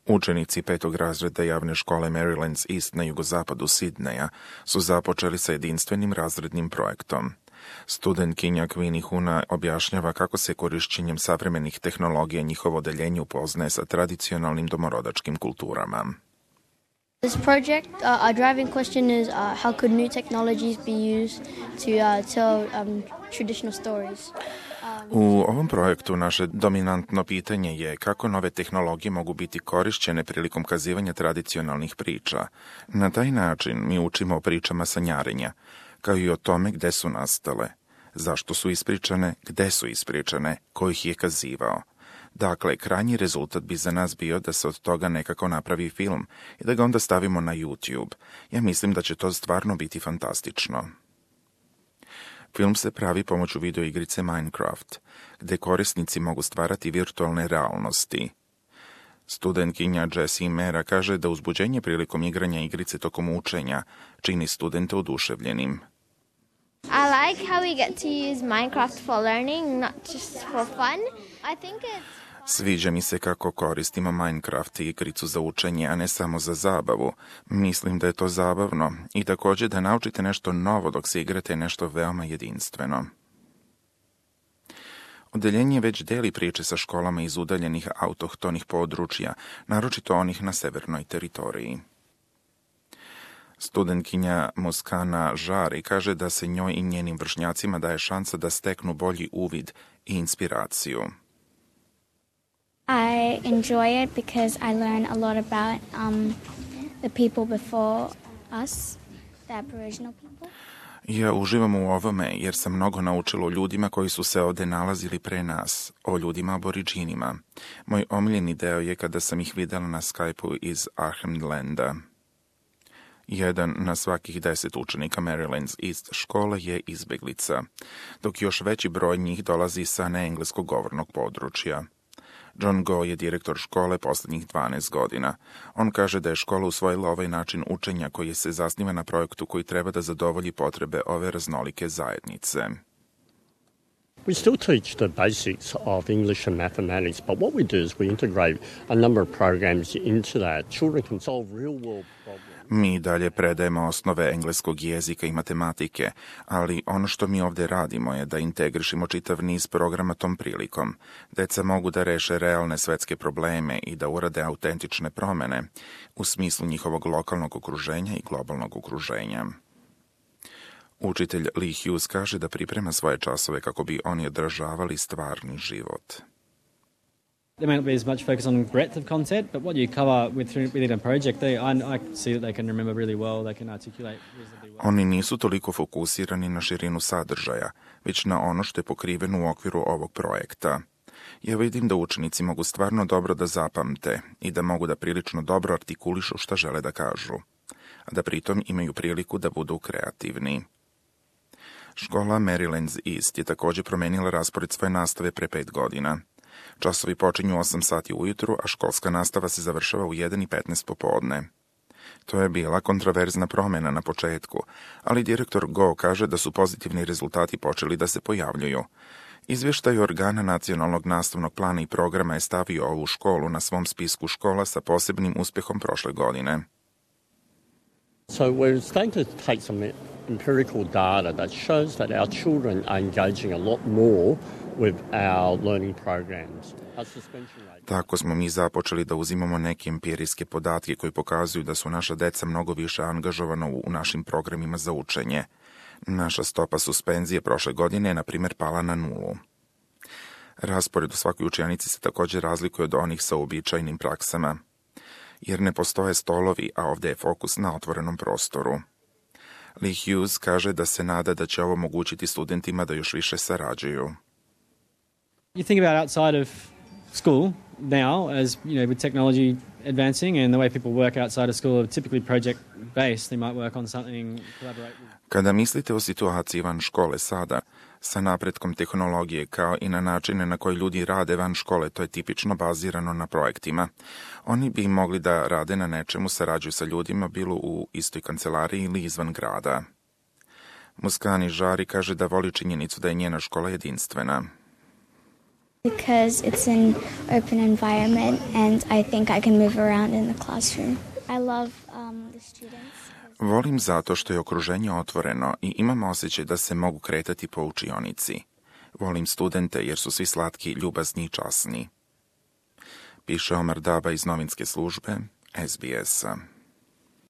Učenici 5. razreda javne škole Marylands East na jugozapadu Sidneja su započeli sa jedinstvenim razrednim projektom. Studentkinja Queenie Huna objašnjava kako se korišćenjem savremenih tehnologija njihovo odeljenje upoznaje sa tradicionalnim domorodačkim kulturama. This project, our driving question is how could new technologies be used to tell traditional stories. U ovom projektu naše dominantno pitanje je kako nove tehnologije mogu biti korišćene prilikom kazivanja tradicionalnih priča. Na taj način mi učimo o pričama sanjarenja, kao i o tome gde su nastale, zašto su ispričane, gde su ispričane, ko ih je kazivao. Dakle, krajnji rezultat bi za nas bio da se od toga nekako napravi film i da ga onda stavimo na YouTube. Ja mislim da će to stvarno biti fantastično. Film se pravi pomoću videoigrice Minecraft, gde korisnici mogu stvarati virtualne realnosti. Studentkinja Jessie Mera kaže da uzbuđenje prilikom igranja igrice tokom učenja čini studente oduševljenim. I like how we get to use Minecraft for learning, not just for fun. I think it's Sviđa mi se kako koristimo Minecraft i igricu za učenje, a ne samo za zabavu. Mislim da je to zabavno i također da naučite nešto novo dok se igrate nešto veoma jedinstveno. Odeljenje već deli priče sa školama iz udaljenih autohtonih područja, naročito onih na severnoj teritoriji. Studentkinja Muskana Žari kaže da se njoj i njenim vršnjacima daje šansa da steknu bolji uvid i inspiraciju. I enjoy it because I learn a lot about the people before us, the Aboriginal people. Ja uživam u ovome jer sam mnogo naučila o ljudima koji su se ovde nalazili pre nas, o ljudima aboriđinima. Moj omiljeni deo je kada sam ih videla na Skype-u iz Arnhem-Landa. Jedan na svakih 10 učenika Marylands East škole je izbeglica, dok još veći broj njih dolazi sa neengleskog govornog područja. John Go je direktor škole poslednjih 12 godina. On kaže da je škola usvojila ovaj način učenja koji se zasniva na projektu koji treba da zadovolji potrebe ove raznolike zajednice. We still teach the basics of English and mathematics, but what we do is we integrate a number of programs into that. Children can solve real-world problems. Mi dalje predajemo osnove engleskog jezika i matematike, ali ono što mi ovde radimo je da integrišemo čitav niz programa tom prilikom. Deca mogu da reše realne svetske probleme i da urade autentične promene u smislu njihovog lokalnog okruženja i globalnog okruženja. Učitelj Lee Hughes kaže da priprema svoje časove kako bi oni održavali stvarni život. There may not be as much focus on breadth of content, but what you cover within a project, I see that they can remember really well, they can articulate reasonably well. Oni nisu toliko fokusirani na širinu sadržaja, već na ono što je pokriveno u okviru ovog projekta. Ja vidim da učenici mogu stvarno dobro da zapamte i da mogu da prilično dobro artikulišu šta žele da kažu, a da pritom imaju priliku da budu kreativni. Škola Marylands East je također promenila raspored svoje nastave pre 5 godina. Časovi počinju 8 sati ujutru, a školska nastava se završava u 1:15 popodne. To je bila kontroverzna promjena na početku, ali direktor Go kaže da su pozitivni rezultati počeli da se pojavljuju. Izvještaj organa nacionalnog nastavnog plana i programa je stavio ovu školu na svom spisku škola sa posebnim uspjehom prošle godine. So we're starting to take some empirical data that shows that our children are engaging a lot more with our learning programs. Our suspension rate. Tako smo mi započeli da uzimamo neke empirijske podatke koji pokazuju da su naša deca mnogo više angažovana u našim programima za učenje. Naša stopa suspenzije prošle godine je, na primjer, pala na 0. Raspored u svakoj učionici se također razlikuje od onih sa uobičajenim praksama, jer ne postoje stolovi, a ovdje je fokus na otvorenom prostoru. Lee Hughes kaže da se nada da će ovo omogućiti studentima da još više sarađuju. You think about outside of school now, as you know, with technology advancing and the way people work outside of school are typically project based. They might work on something, collaborate with. Kada mislite o situaciji van škole sada, sa napretkom tehnologije kao i na načine na koji ljudi rade van škole, to je tipično bazirano na projektima. Oni bi mogli da rade na nečemu, sarađuju sa ljudima, bilo u istoj kancelariji ili izvan grada. Muskani Žari kaže da voli činjenicu da je njena škola jedinstvena. Because it's an open environment and I think I can move around in the classroom. I love the students. Volim zato što je okruženje otvoreno i imam osjećaj da se mogu kretati po učionici. Volim studente jer su svi slatki, ljubazni i časni. Piše Omar Daba iz novinske službe SBS-a.